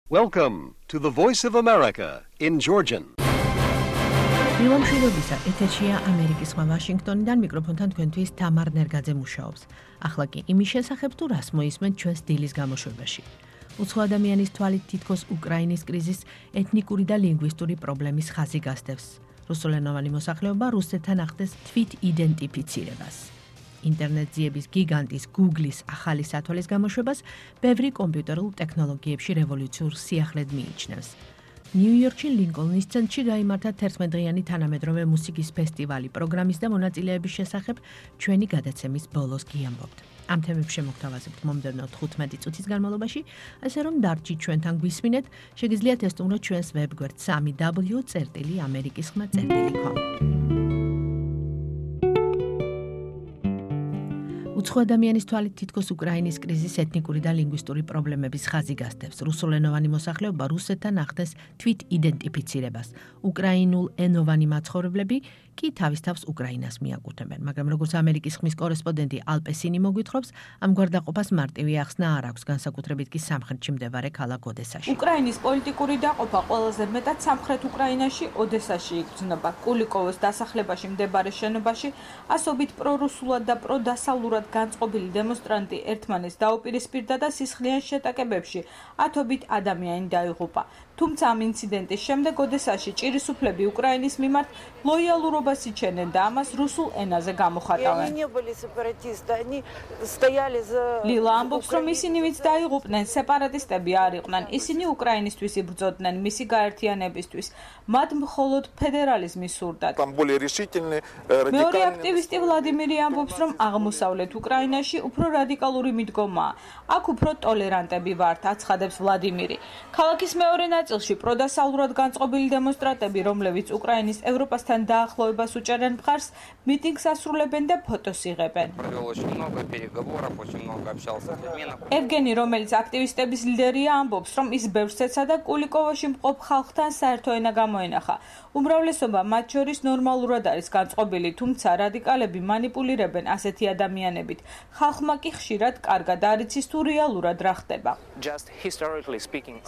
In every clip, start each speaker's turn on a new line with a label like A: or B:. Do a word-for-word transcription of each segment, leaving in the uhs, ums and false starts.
A: Welcome to the Voice of America in Georgian.
B: მილომშვიდობისა, ეთერშია ამერიკის ხმა ვაშინგტონიდან მიკროფონთან თქვენთვის თამარ ნერგაძე მუშაობს. ახლა კი იმის შესახებ თუ რას მოისმენთ ჩვენს დილის გამოშვებაში. უცხო ადამიანის თვალით თითქოს უკრაინის კრიზისს ეთნიკური და ლინგვისტური პრობლემის ხაზი გასდევს. რუსულენოვანი მოსახლეობა რუსეთთან ახდენს თვით იდენტიფიცირებას. ინტერნეტ ძიების გიგანტის Google-ის ახალი სათვალის გამოშვებას ბევრი კომპიუტერულ ტექნოლოგიებში რევოლუციურ სიახლედ მიიჩნევს. ნიუ-იორკში ლინკოლნის ცენტრში გაიმართა თერთმეტდღიანი თანამედროვე მუსიკის ფესტივალი. პროგრამის და მონაწილეების შესახებ ჩვენი გადაცემის ბოლოს გიამბობთ. ამ თემებს შემოგთავაზებთ მომდევნო თხუთმეტი წუთის განმავლობაში, ასე რომ დარჩით ჩვენთან გვისმინეთ, შეგიძლიათ ესტუმროთ ჩვენს ვებგვერდ სამი დაბლიუ წერტილი ამერიკის ხმა წერტილი კომ. უცხო ადამიანის თვალით თითქოს უკრაინის კრიზისს ეთნიკური და ლინგვისტური პრობლემების ხაზი გასდევს. რუსულენოვანი მოსახლეობა რუსეთთან ახდენს თვით იდენტიფიცირებას. უკრაინულ ენოვანი მაცხოვრებლები კი თავის თავს უკრაინას მიაკუთვნებენ, მაგრამ როგორც ამერიკის ხმის კორესპონდენტი ალპესინი მოგვითხრობს, ამ გვარდაყოფას მარტივი ახსნა არ აქვს, განსაკუთრებით კი სამხრეთში მდებარე ქალაქ ოდესაში.
C: უკრაინის პოლიტიკური დაყოფა ყველაზე მეტად სამხრეთ უკრაინაში, ოდესაში იგრძნობა. კულიკოვოს დასახლებაში მდებარე შენობაში ასობით პრორუსულად და პროდასავლურად განწყობილი დემონსტრანტი ერთმანეთს დაუპირისპირდა და სისხლიან შეტაკებებში ათობით ადამიანი დაიღუპა. თუმცა ამ ინციდენტის შემდეგ ოდესაში ჭირისუფლები უკრაინის მიმართ ლოიალურობას იჩენენ და ამას რუსულ ენაზე გამოხატავენ. ლილა ამბობს, რომ ისინი ვინც დაიღუპნენ, სეპარატისტები არ იყვნენ. ისინი უკრაინისთვის იბრძოდნენ მისი გაერთიანებისთვის. მათ მხოლოდ ფედერალიზმი სურდათ. მეორე აქტივისტი ვლადიმირი ამბობს, რომ აღმოსავლეთ უკრაინაში უფრო რადიკალური მიდგომაა. აქ უფრო ტოლერანტები ვართ, აცხადებს ვლადიმირი. ქალაქის მეორე ნაწილში პროდასავლურად განწყობილი დემონსტრანტები, რომლებიც უკრაინის ევროპასთან დაახლოებას უჭერენ მხარს, მიტინგს ასრულებენ და ფოტოს იღებენ. ევგენი, რომელიც აქტივისტების ლიდერია, ამბობს, რომ ის ბევრს ეცა და კულიკოვოში მყოფ ხალხთან საერთო ენა გამოენახა. უმრავლესობა მათ შორის ნორმალურად არის განწყობილი, თუმცა რადიკალები მანიპულირებენ ასეთი ადამიანებით. ხალხმა კი ხშირად კარგად არ იცის თუ რეალურად რა ხდება.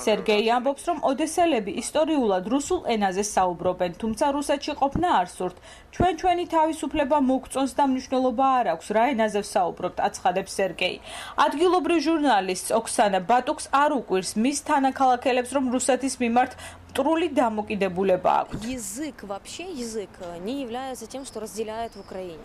C: სერგეი ამბობს, რომ ოდესელები ისტორიულად რუსულ ენაზე საუბრობენ, თუმცა რუსეთში ყოფნა არ სურთ. ჩვენ ჩვენი თავისუფლება მოგწონს და მნიშვნელობა არ აქვს, რა ენაზე ვსაუბრობთ, აცხადებს სერგეი. ადგილობრივ ჟურნალისტს ოქსანა ბატუკს არ უკვირს მის თანაქალაქელებს, რომ რუსეთის მიმართ მტრული დამოკიდებულება აქვთ.
D: Язык вообще язык не является тем, что разделяет в Украине.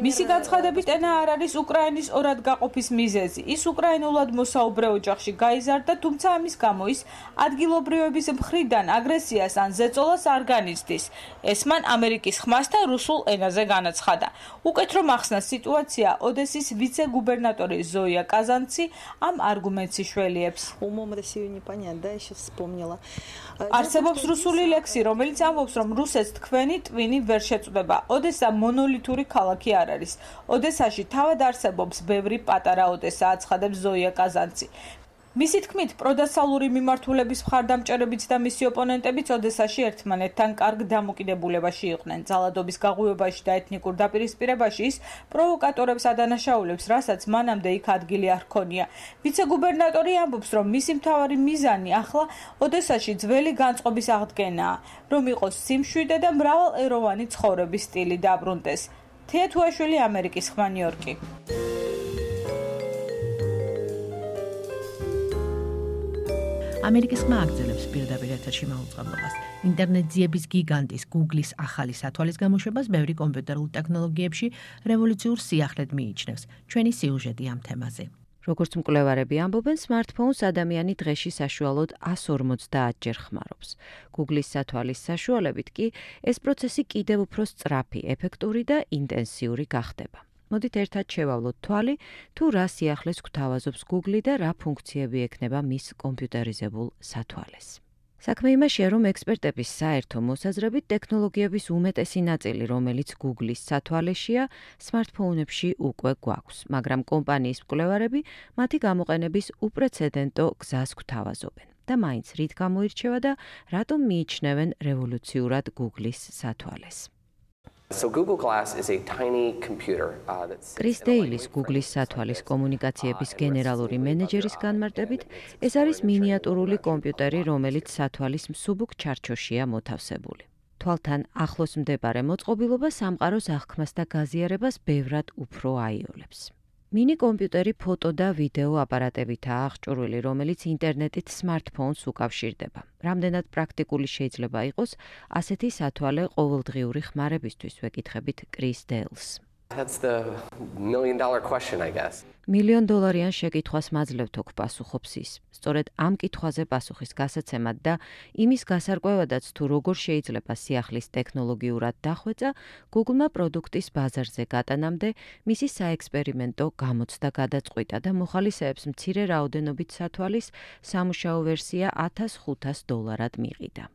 C: მისი განცხადებით ენა არ არის უკრაინის ორად გაყოფის მიზეზი. ის უკრაინულად მოსაუბრე ოჯახში გაიზარდა, თუმცა ამის გამო ის ადგილობრივების მხრიდან აგრესიას ან ზეწოლას არ განიცდის. ეს მან ამერიკის ხმასთან რუსულ ენაზე განაცხადა. უკეთ რომ ახსნა სიტუაცია, ოდესის ვიცე-გუბერნატორი ზოია კაზანცი ამ არგუმენტს იშველიებს. არსებობს რუსული ლექსი, რომელიც ამბობს, რომ რუსეთს თქვენი ტვინი ვერ შეწყვდება. ოდესა მონოლითური ქალაქი არ არის. ოდესაში თავად არსებობს ბევრი პატარა ოდესა, აცხადებს ზოია კაზანცი. მისი თქმით, პროდასალური მიმართულების მხარდამჭერებიც და მისი ოპონენტებიც ოდესაში ერთმანეთთან კარგ დამოკიდებულებაში იყვნენ. ძალადობის გაღვივებაში და ეთნიკურ დაპირისპირებაში ის პროვოკატორებს ადანაშაულებს, რასაც მანამდე იქ ადგილი არ ჰქონია. ვიცე-გუბერნატორი ამბობს, რომ მისი მთავარი მიზანი ახლა ოდესაში ძველი განწყობის აღდგენაა, რომ იყოს სიმშვიდე და მრავალეროვანი ცხოვრების სტილი დაბრუნდეს. თეა თუაშვილი, ამერიკის ხმა, ნიუ-იორკი.
B: ამერიკის ხმა აგრძელებს პირდაპირ ეთერში მაუწყებლობას. ინტერნეტ ძიების გიგანტის Google-ის ახალი სათვალის გამოშვებას ბევრი კომპიუტერულ ტექნოლოგიებში რევოლუციურ სიახლედ მიიჩნევს. ჩვენი სიუჟეტი ამ თემაზე.
E: როგორც მკვლევარები ამბობენ, smartphones ადამიანი დღეში საშუალოდ εκατს ორმოცდაათჯერ ხმარობს. Google-ის სათვალის საშუალებით კი ეს პროცესი კიდევ უფრო სწრაფი, ეფექტური და ინტენსიური გახდება. მოდით ერთად შევავლოთ თვალი, თუ რა სიახლეს გვთავაზობს Google და რა ფუნქციები ექნება მის კომპიუტერიზებულ სათვალეს. საქმე იმაშია, რომ ექსპერტების საერთო მოსაზრებით ტექნოლოგიების უმეტესი ნაწილი, რომელიც Google-ის სათვალეშია, smartphone-ებში უკვე გვაქვს, მაგრამ კომპანიის მკვლევარები მათი გამოყენების უპრეცედენტო გზას გვთავაზობენ. და მაინც რით გამოირჩევა და რატომ მიიჩნევენ რევოლუციურად Google-ის სათვალეს.
F: So Google Glass is a tiny computer uh, that's
E: Chris Daly-ის Google-ის სათვალის კომუნიკაციების გენერალური მენეჯერის განმარტებით, ეს არის მინიატურული კომპიუტერი, რომელიც სათვალის მსუბუქ ჩარჩოშია მოთავსებული. თვალთან ახლოს მდებარე მოწყობილობა სამყაროს აღქმას და გაზიარებას ბევრად უფრო აიოლებს. მინი კომპიუტერი ფოტო და ვიდეო აპარატებითაა აღჭურვილი, რომელიც ინტერნეტით smartphones უკავშირდება. რამდენად პრაქტიკული შეიძლება იყოს ასეთი სათვალე ყოველდღიური ხმარებისთვის, ვეკითხებით Chris Daly-ს.
F: That's the million dollar question, I guess.
E: მილიონ დოლარიან შეკითხვას მაძლევთ ოქ პასუხობს ის. სწორედ ამ კითხვაზე პასუხის გასაცემად და იმის გასარკვევადაც თუ როგორ შეიძლება სიახლის ტექნოლოგიურად დახვეწა, Google-მა პროდუქტის ბაზარზე გატანამდე მისი საექსპერიმენტო გამოცდა გადაწყვიტა და მოხალისეებს მცირე რაოდენობით სათვალის სამუშაო ვერსია ათას ხუთას დოლარად მიყიდა.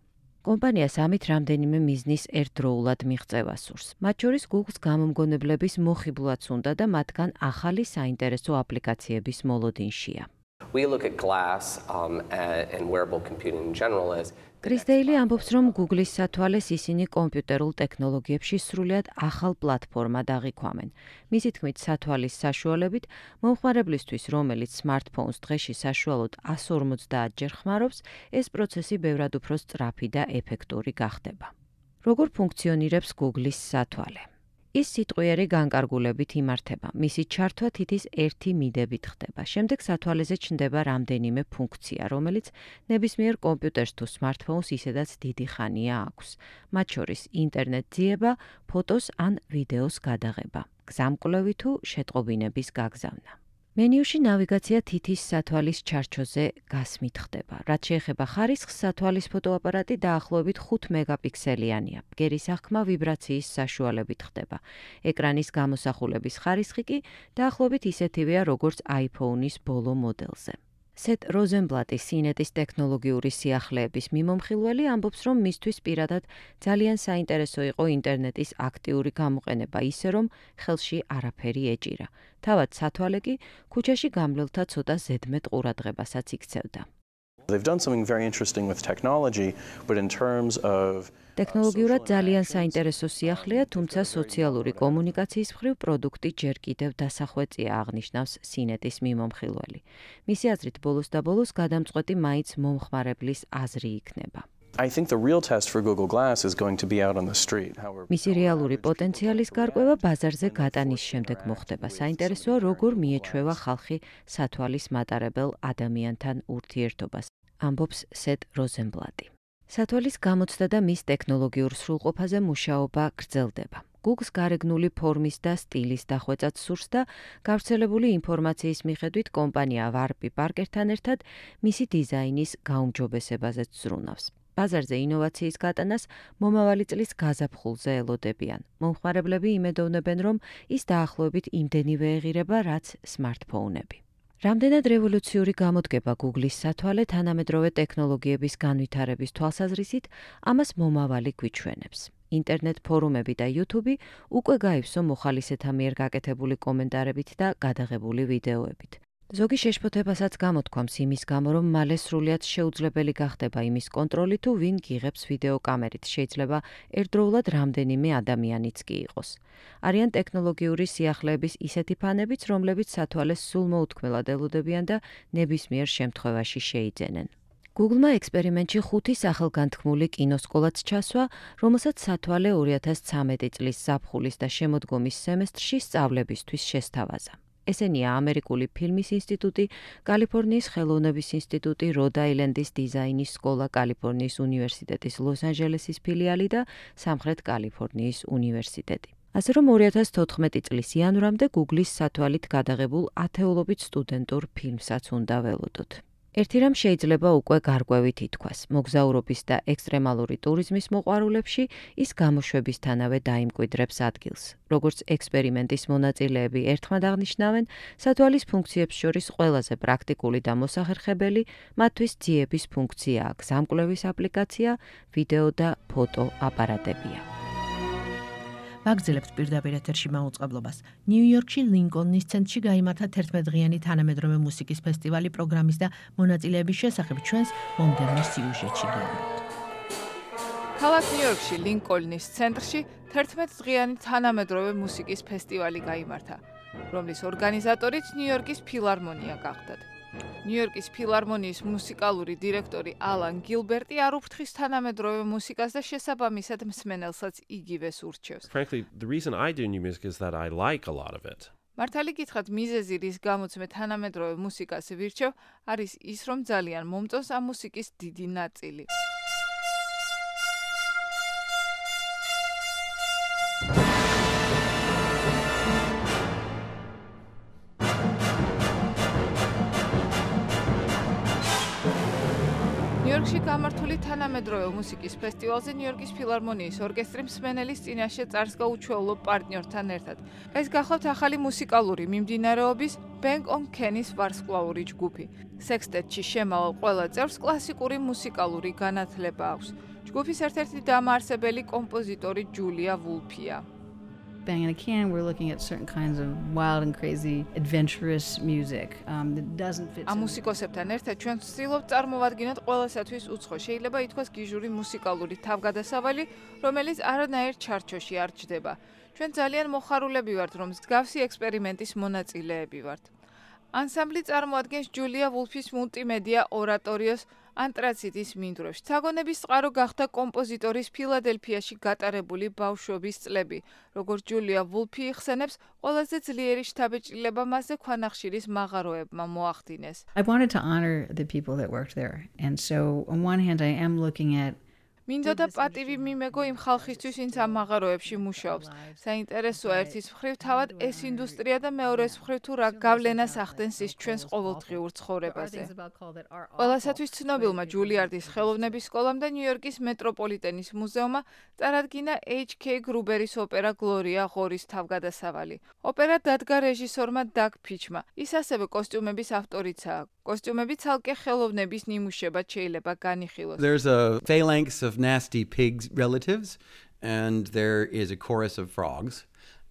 E: კომპანიას ამით რამდენიმე მიზნის ერთდროულად მიღწევა სურს. მათ შორის Google-ს გამომგონებლების მოხიბლაც უნდა და მათგან ახალი საინტერესო აპლიკაციების მოლოდინშია.
F: We look at glass um, and wearable computing in general as
E: Chris Daly ამბობს, რომ Google-ის სათვალეს ისინი კომპიუტერულ ტექნოლოგიებში სრულიად ახალ პლატფორმად აღიქვამენ. მისი თქმით, სათვალის საშუალებით მომხმარებლისთვის, რომელიც smartphones დღეში საშუალოდ εκατს ორმოცდაათჯერ ხმარობს, ეს პროცესი ბევრად უფრო სწრაფი და ეფექტური გახდება. როგორ ფუნქციონირებს Google-ის სათვალე? ის სიტყვიერი განკარგულებით იმართება. მისი ჩართვა თითის ერთი მიდებით ხდება. შემდეგ სათვალეზე ჩნდება რამდენიმე ფუნქცია, რომელიც ნებისმიერ კომპიუტერს თუ smartphones ისედაც დიდი ხანია აქვს. მათ შორის ინტერნეტ ძიება, ფოტოს ან ვიდეოს გადაღება, გზამკვლევი თუ შეტყობინების გაგზავნა. მენიუში ნავიგაცია თითის სათვალის ჩარჩოზე გასმით ხდება. რაც შეეხება ხარისხს, სათვალის ფოტოაპარატი დაახლოებით ხუთ მეგაპიქსელიანია. ბგერის აღქმა ვიბრაციის საშუალებით ხდება. ეკრანის გამოსახულების ხარისხი კი დაახლოებით ისეთივეა, როგორც iPhone-ის ბოლო მოდელზე. Seth Rosenblatt-ის სინეტის ტექნოლოგიური სიახლეების მიმომხილველი ამბობს, რომ მისთვის პირადად ძალიან საინტერესო იყო ინტერნეტის აქტიური გამოყენება ისე, რომ ხელში არაფერი ეჭირა. თავად სათვალე კი ქუჩაში გამლელთა ცოტა ზედმეტ ყურადღებასაც იქცევდა.
G: They've done something very interesting with technology, but in terms of
E: ტექნოლოგიურად ძალიან საინტერესო სიახლეა, თუმცა სოციალური კომუნიკაციის მხრივ პროდუქტი ჯერ კიდევ დასახვეწია, აღნიშნავს სინეტის მიმომხილველი. მისი აზრით, ბოლოს და ბოლოს გადამწყვეტი მაინც მომხმარებლის აზრი იქნება.
G: I think the real test for Google Glass is going to be out on the street.
E: მისი რეალური პოტენციალის გარკვევა ბაზარზე გატანის შემდეგ მოხდება. საინტერესოა, როგორ მიეჩვევა ხალხი სათვალის მატარებელ ადამიანთან ურთიერთობას, ამბობს Seth Rosenblatt. სათვალის გამოცდა და მის ტექნოლოგიურ სრულყოფაზე მუშაობა გრძელდება. Google-ს გარეგნული ფორმის და სტილის დახვეწად სურს და გავრცელებული ინფორმაციის მიხედვით კომპანია Warby Parker-თან ერთად მისი დიზაინის გაუმჯობესებაზეც ზრუნავს. ბაზარზე ინოვაციის გატანას მომავალი წლის გაზაფხულზე ელოდებიან. მომხმარებლები იმედოვნებენ, რომ ის დაახლოებით იმდენივე ეღირება, რაც smartphone-ები. რამდენად რევოლუციური გამოდგება Google-ის სათვალე თანამედროვე ტექნოლოგიების განვითარების თვალსაზრისით, ამას მომავალი გვიჩვენებს. ინტერნეტ ფორუმები და YouTube უკვე გაივსო მოხალისეთა მიერ გაკეთებული კომენტარებით და გადაღებული ვიდეოებით. ზოგი შეშფოთებასაც გამოთქვამს იმის გამო, რომ მალე სრულიად შეუძლებელი გახდება იმის კონტროლი თუ ვინ გიღებს ვიდეო კამერით, შეიძლება ერთდროულად რამდენიმე ადამიანიც კი იყოს. არიან ტექნოლოგიური სიახლეების ისეთი ფანებიც, რომლებიც სათვალეს სულ მოუთქმელად ელოდებიან და ნებისმიერ შემთხვევაში შეიძენენ. Google-მა ექსპერიმენტში ხუთი სახელგანთქმული კინოსკოლაც ჩასვა, რომელსაც სათვალე ორი ათას ცხრამეტი წლის ზაფხულის და შემოდგომის სემესტრში სწავლებისთვის შესთავაზა. ესენია ამერიკული ფილმის ინსტიტუტი, კალიფორნიის ხელოვნების ინსტიტუტი, როდ-აილენდის დიზაინის სკოლა, კალიფორნიის უნივერსიტეტის ლოს-ანჯელესის ფილიალი და სამხრეთ კალიფორნიის უნივერსიტეტი. ასე რომ ორი ათას თოთხმეტი წლის იანვრამდე Google-ის სათვალით გადაღებულ ათეულობით სტუდენტურ ფილმსაც უნდა ველოდოთ. ერთი რამ შეიძლება უკვე გარკვევით ითქვას. მოგზაურობის და ექსტრემალური ტურიზმის მოყვარულებში ის გამოშვებისთანავე დაიმკვიდრებს ადგილს. როგორც ექსპერიმენტის მონაწილეები ერთხმად აღნიშნავენ, სათვალის ფუნქციებს შორის ყველაზე პრაქტიკული და მოსახერხებელი მათთვის ძიების ფუნქციაა, გზამკვლევის აპლიკაცია, ვიდეო და ფოტო აპარატებია.
B: ვაგრძელებთ პირდაპირ ეთერში მაუწყებლობას. ნიუ-იორკში ლინკოლნის ცენტრში გაიმართა თერთმეტდღიანი თანამედროვე მუსიკის ფესტივალი პროგრამის და მონაწილეების შესახებ ჩვენს მომდევნო სიუჟეტში გეუბნებთ.
H: ქალაქ ნიუ-იორკში, ლინკოლნის ცენტრში თერთმეტდღიანი თანამედროვე მუსიკის ფესტივალი გაიმართა, რომლის ორგანიზატორიც ნიუ-იორკის ფილარმონია გახდათ. ნიუ-იორკის ფილარმონიის მუსიკალური დირექტორი ალან გილბერტი არ უფრთხის თანამედროვე მუსიკას და შესაბამისად მსმენელსაც იგივეს ურჩევს.
I: Frankly, the reason I do new music is that I like a lot of it.
H: მართალი გითხრათ, მიზეზი, რის გამოც მე თანამედროვე მუსიკას ვირჩევ, არის ის, რომ ძალიან მომწონს ამ მუსიკის დიდი ნაწილი. ნიუ-იორკში გამართული თანამედროვე მუსიკის ფესტივალზე ნიუ-იორკის ფილარმონიის ორკესტრი მსმენელის წინაშე წარს გაუჩვეულო პარტნიორთან ერთად. ეს გახლავთ ახალი მუსიკალური მიმდინარეობის Bank on Kenny-ის ვარსკვლავური ჯგუფი. სექსტეტში შემავალ ყველა წევრს კლასიკური მუსიკალური განათლება აქვს. ჯგუფის ერთ-ერთი დამაარსებელი კომპოზიტორი ჯულია ვულფია.
J: Bang on a Can, we're looking at certain kinds of wild and crazy, adventurous music um, that doesn't fit.
H: ამ მუსიკოსებთან ერთად ჩვენ ვცდილობთ წარმოვადგინოთ ყველასათვის უცხო, შეიძლება ითქვას გიჟური მუსიკალური თავგადასავალი, რომელიც არანაირ ჩარჩოში არ ჯდება. ჩვენ ძალიან მოხარულები ვართ, რომ მსგავსი ექსპერიმენტის მონაწილეები ვართ. ანსამბლი წარმოადგენს ჯულია ვულფის მულტიმედია ორატორიოს ანტრაციტის მინდვრებში. საგონების წყარო გახდა კომპოზიტორის ფილადელფიაში გატარებული ბავშვობის წლები. როგორც ჯულია ვულფი იხსენებს, ყველაზე ძლიერი შთაბეჭდილება მასზე ქვანახშირის მაღაროებმა მოახდინეს.
J: I wanted to honor the people that worked there. And so on one hand I am looking at
H: მინდოდა პატივი მიმეგო იმ ხალხისთვის, ვინც ამ მაღაროებში მუშაობს. საინტერესოა ერთის მხრივ თავად ეს ინდუსტრია და მეორეს მხრივ თუ რა გავლენას ახდენს ის ჩვენს ყოველდღიურ ცხოვრებაზე. ყველასათვის ცნობილმა ჯულიარდის ხელოვნების სკოლამ და ნიუ-იორკის მეტროპოლიტენის მუზეუმმა წარადგინა H K გრუბერის ოპერა გლორია ღორის თავგადასავალი. ოპერა დადგა რეჟისორმა დაგ ფიჩმა. ის ასევე კოსტიუმების ავტორიცაა. კოსტიუმები ცალკე ხელოვნების ნიმუშებად შეიძლება განიხილოს.
K: There's a phalanx of nasty pigs relatives and there is a chorus of frogs.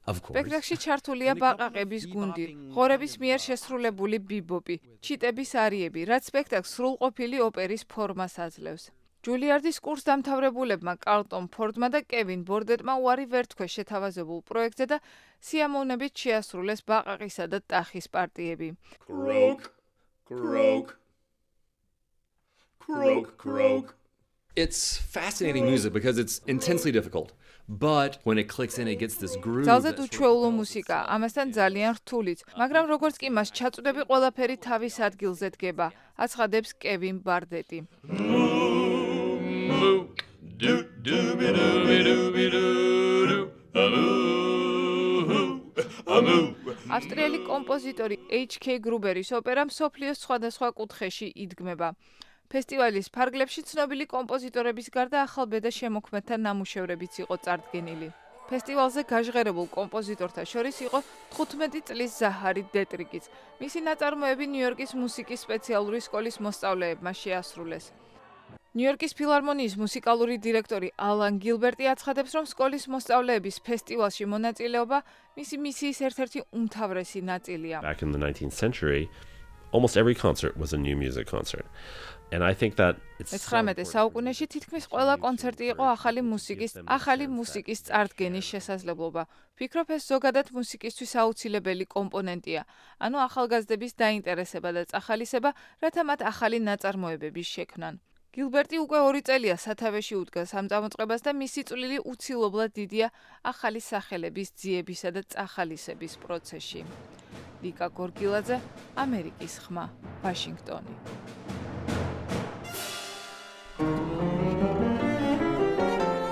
K: Of course.
H: სპექტაკლში ჩართულია ბაყაყების გუნდი, ღორების მიერ შესრულებული ბიბოპი, ჩიტების არიები, რაც სპექტაკლს სრულყოფილი ოპერის ფორმას აძლევს. ჯულიარდის კურსდამთავრებულებმა კარლტონ ფორდმა და კევინ ბორდეტმა უარი ვერ თქვეს შეთავაზებულ პროექტზე და სიამოვნებით შეასრულეს ბაყაყისა და ტახის პარტიები.
L: Croak, croak, croak, croak. It's fascinating music because it's intensely difficult. But when it clicks in, it gets this groove.
H: ძალზედ უჩვეულო მუსიკა, ამასთან ძალიან რთულიც, მაგრამ როგორც კი მას ჩაწვდები, ყველაფერი თავის ადგილზე დგება, აცხადებს კევინ ბარდეტი. ავსტრიელი კომპოზიტორი H K გრუბერის ოპერა მსოფლიოს სხვადასხვა კუთხეში იდგმება. ფესტივალის ფარგლებში ცნობილი კომპოზიტორების გარდა ახალბედა შემოქმედთა ნამუშევრებიც იყო წარდგენილი. ფესტივალზე გაჟღერებულ კომპოზიტორთა შორის იყო თხუთმეტი წლის ზაჰარი დეტრიკიც. მისი ნაწარმოები ნიუ-იორკის მუსიკის სპეციალური სკოლის მოსწავლეებმა შეასრულეს. ნიუ-იორკის ფილარმონიის მუსიკალური დირექტორი ალან გილბერტი აცხადებს, რომ სკოლის მოსწავლეების ფესტივალში მონაწილეობა მისი მისიის ერთ-ერთი უმთავრესი ნაწილია.
I: Back in the nineteenth century, almost every concert was a new music concert. And I think that it's
H: მეცხრამეტე საუკუნეში თითქმის ყველა კონცერტი იყო ახალი მუსიკის, ახალი მუსიკის წარდგენის შესაძლებლობა. ვფიქრობ, ეს ზოგადად მუსიკისთვის აუცილებელი კომპონენტია. ანუ ახალგაზრდების დაინტერესება და წახალისება, რათა მათ ახალი ნაწარმოებების შექმნან. გილბერტი უკვე ორი წელია სათავეში უდგას ამ წამოწყებას და მისი წვლილი უცილობლად დიდია ახალი სახელების ძიებისა და წახალისების პროცესში. ლიკა გორგილაძე, ამერიკის ხმა, ვაშინგტონი.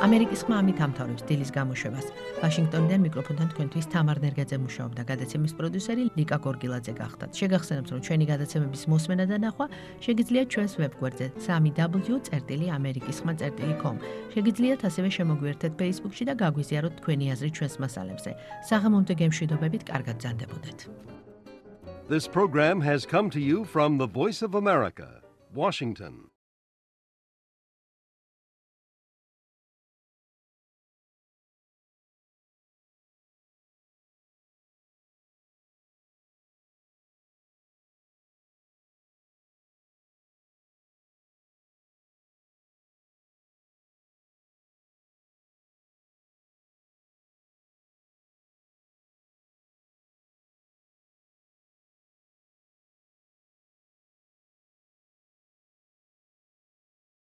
B: ამერიკის ხმა ამით ამთავრებს დილის გამოშვებას. ვაშინგტონიდან მიკროფონთან თქვენთვის თამარ ნერგაძე მუშაობდა, გადაცემის პროდიუსერი ლიკა გორგილაძე გახდათ. შეგახსენებთ, რომ ჩვენი გადაცემების მოსმენა და ნახვა შეგიძლიათ ჩვენს ვებგვერდზე სამი დაბლიუ წერტილი ამერიკის ხმა წერტილი com. შეგიძლიათ ასევე შემოგვიერთდეთ Facebook-ში და გაგვიზიაროთ თქვენი აზრი ჩვენს მასალებზე. საღამომდე გემშვიდობებით, კარგად ბრძანდებოდეთ.
A: This program has come to you from the Voice of America, Washington.